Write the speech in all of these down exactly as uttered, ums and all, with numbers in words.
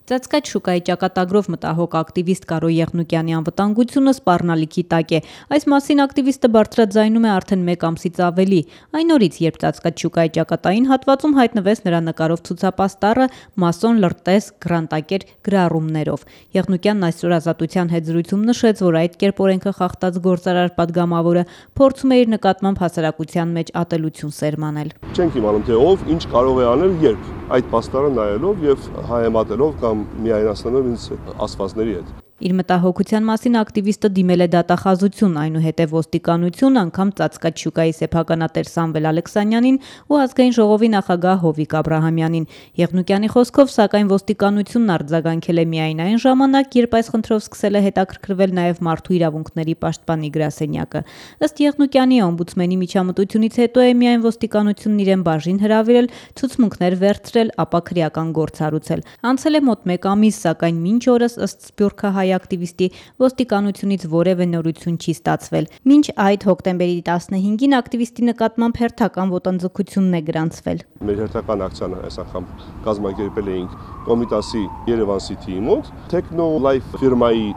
Ծածկած շուկայի ճակատագրով մտահոգ ակտիվիստ Կարո Եղնուկյանի անվտանգությունը սպառնալիքի տակ է։ Այս մասին ակտիվիստը բարձրաձայնում է արդեն մեկ ամսից ավելի։ Այն օրից, երբ ծածկած շուկայի ճակատային հատվածում հայտնվեց նրա նկարով ցուցապաստառը մասոն լրտես գրանտակեր գրառումներով։ Եղնուկյանն այսօր Ազատության հետ զրույցում նշեց, որ այդ կերպ օրենքը խախտած գործարար падգամավորը փորձում է իր նկատմամբ հասարակության մեջ ատելություն սերմանել։ Չենք իմանում, թե ով ինչ կարող է անել, երբ այդ պաստառը նայելով եւ հայեմատելով կամ միայնացնելով ինձ ասվածների հետ։ Իր մտահոգության մասին ակտիվիստը դիմել է դատախազություն, այնուհետև ոստիկանություն, անգամ ծածկած շուկայի սեփականատեր Սամվել Ալեքսանյանին ու ազգային ժողովի նախագահ Հովիկ Աբրահամյանին։ Եղնուկյանի խոսքով, սակայն ոստիկանությունն արձագանքել է միայն այն ժամանակ, երբ այս խնդրով սկսել է հետաքրքրվել նաև մարդու իրավունքների պաշտպանի գրասենյակը։ Ըստ Եղնուկյանի, օմբուդսմենի միջամտությունից հետո է միայն ոստիկանությունն իրեն բաժին հրավիրել, ցուցմունքներ վերցրել, ապա քրեական գործ հարուցել։ Անցել է մոտ մեկ ամիս, սակայն մինչ օրս ըստ Սփյուռքահայ ակտիվիստի ոստիկանությունից որևէ նորություն չի ստացվել։ Մինչ այդ հոկտեմբերի տասնհինգին ակտիվիստի նկատմամբ հերթական ոտնձգությունն է գրանցվել։ Մեր հերթական ակցիան այս անգամ կազմակերպել էինք Կոմիտասի Երևան City-ի մոտ, Techno Life ֆիրմայի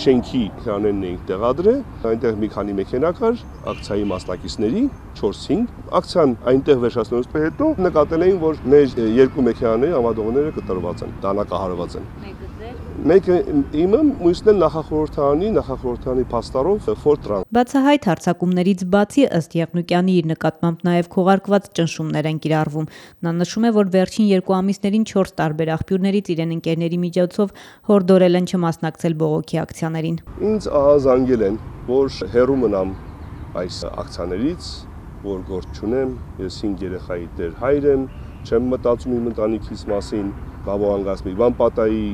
շենքի էկրաններն էինք տեղադրել, այնտեղ մի քանի մեքենա կար, ակցիայի մասնակիցների չորս-հինգ, ակցիան այնտեղ վերջացնելուց հետո նկատել էին, որ մեր երկու մեքենաների ամադողները կտրված են, դանակահարված են։ Մեկը իմը, մյուսն էլ նախախորհրդարանի, նախախորհրդարանի փաստարով Ֆորտրան։ Բացահայտ հարձակումներից բացի ըստ Եղնուկյանի իր նկատմամբ նաև քողարկված ճնշումներ են կիրառվում։ Նա նշում է, որ վերջին երկու ամիսներին չորս տարբեր աղբյուրներից իրեն ընկերների միջոցով հորդորել են չմասնակցել բողոքի ակցիաներին։ Ինձ ահազանգել են, որ հեռու մնամ այս ակցիաներից, որ գործ չունեմ, ես հինգ երեխայի տեր հայր եմ, չեմ մտածում իմ ընտանիքիս մասին, կարող անգաս մի բան պատահի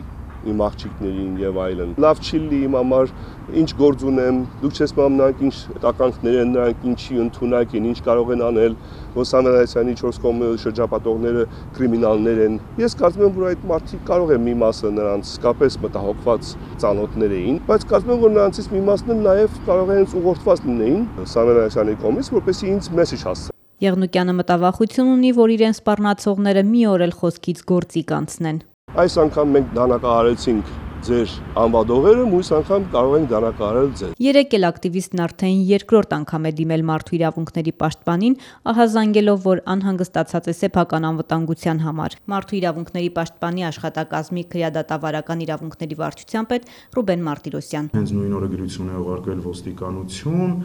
իմ աղջիկներին եւ այլն։ Լավ չի լի իմ համար, ինչ գործ ունեմ, դուք չես մամ նրանք ինչ տականքներ են, նրանք ինչի ընդունակ են, ինչ կարող են անել, որ Սամվել Ալեքսյանի չորս կողմի շրջապատողները կրիմինալներ են։ Ես կարծում եմ, որ այդ մարդիկ կարող է մի մասը նրանց իսկապես մտահոգված ծանոթներ էին, բայց կարծում եմ, որ նրանցից մի մասն էլ նաեւ կարող է հենց ուղղորդված լինեին Սամվել Ալեքսյանի կողմից, որպեսզի ինձ մեսեջ հասցնեն։ Եղնուկյանը մտավախություն ունի, որ իրեն սպառնացողները մի օր էլ խոսքից գործի կանցնեն։ Այս անգամ մենք դանակահարեցինք ձեր անվադողերը, մյուս անգամ կարող ենք դանակահարել ձեզ։ Երեկ էլ ակտիվիստն արդեն երկրորդ անգամ է դիմել մարդու իրավունքների պաշտպանին, ահազանգելով, որ անհանգստացած է սեփական անվտանգության համար։ Մարդու իրավունքների պաշտպանի աշխատակազմի քրեադատավարական իրավունքների վարչության պետ Ռուբեն Մարտիրոսյան։ Հենց նույն օրը գրություն է ուղարկվել ոստիկանություն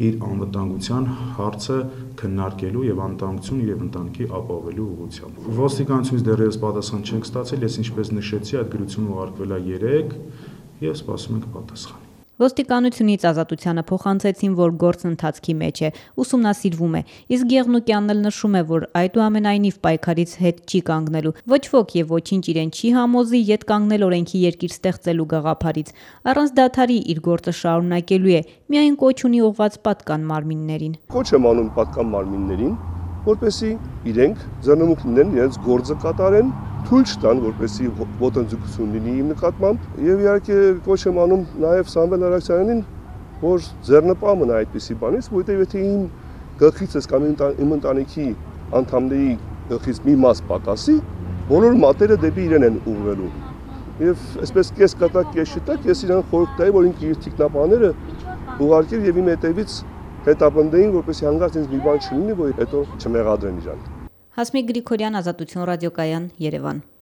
իր անվտանգության հարցը քննարկելու եւ անվտանգություն եւ ընտանիքի ապահովելու ուղղությամբ։ Ոստիկանությունից դեռևս պատասխան չենք ստացել, ես ինչպես նշեցի, այդ գրությունը ուղարկվել է երեկ եւ սպասում ենք պատասխան։ Ոստիկանությունից Ազատությանը փոխանցեցին, որ գործն ընթացքի մեջ է, ուսումնասիրվում է, իսկ Եղնուկյանն էլ նշում է, որ այդուամենայնիվ պայքարից հետ չի կանգնելու։ Ոչ ոք եւ ոչինչ իրեն չի համոզի ետ կանգնել օրենքի երկիր ստեղծելու գաղափարից։ Առանց դադարի իր գործը շարունակելու է, միայն կոչ ունի ուղղված պատկան մարմիններին։ Կոչ եմ անում պատկան մարմիններին, որպեսզի իրենք ձեռնմուխ լինեն, իրենց գործը կատարեն, թույլ չտան, որպեսզի ոտնձգություն լինի իմ նկատմամբ, եւ իհարկե կոչ եմ անում նաեւ Սամվել Ալեքսանյանին, որ ձեռնպահ մնա այդպիսի բանից, որովհետեւ եթե իմ գլխիցս կամ իմ ընտանիքի անդամների գլխից մի մաս պակասի, բոլոր մատերը դեպի իրեն են ուղղվելու։ Եվ այսպես կես կատակ կես շտակ ես իրան խորհուրդ տայի, որ ինքը իր թիկնապաները ուղարկեր եւ իմ հետևից հետապնդեին, որպեսզի հանգարց ինձ մի բան չլինի, որ հետո չմեղադրեն իրան։ Հասմիկ Գրիգորյան, Ազատություն ռադիոկայան, Երևան։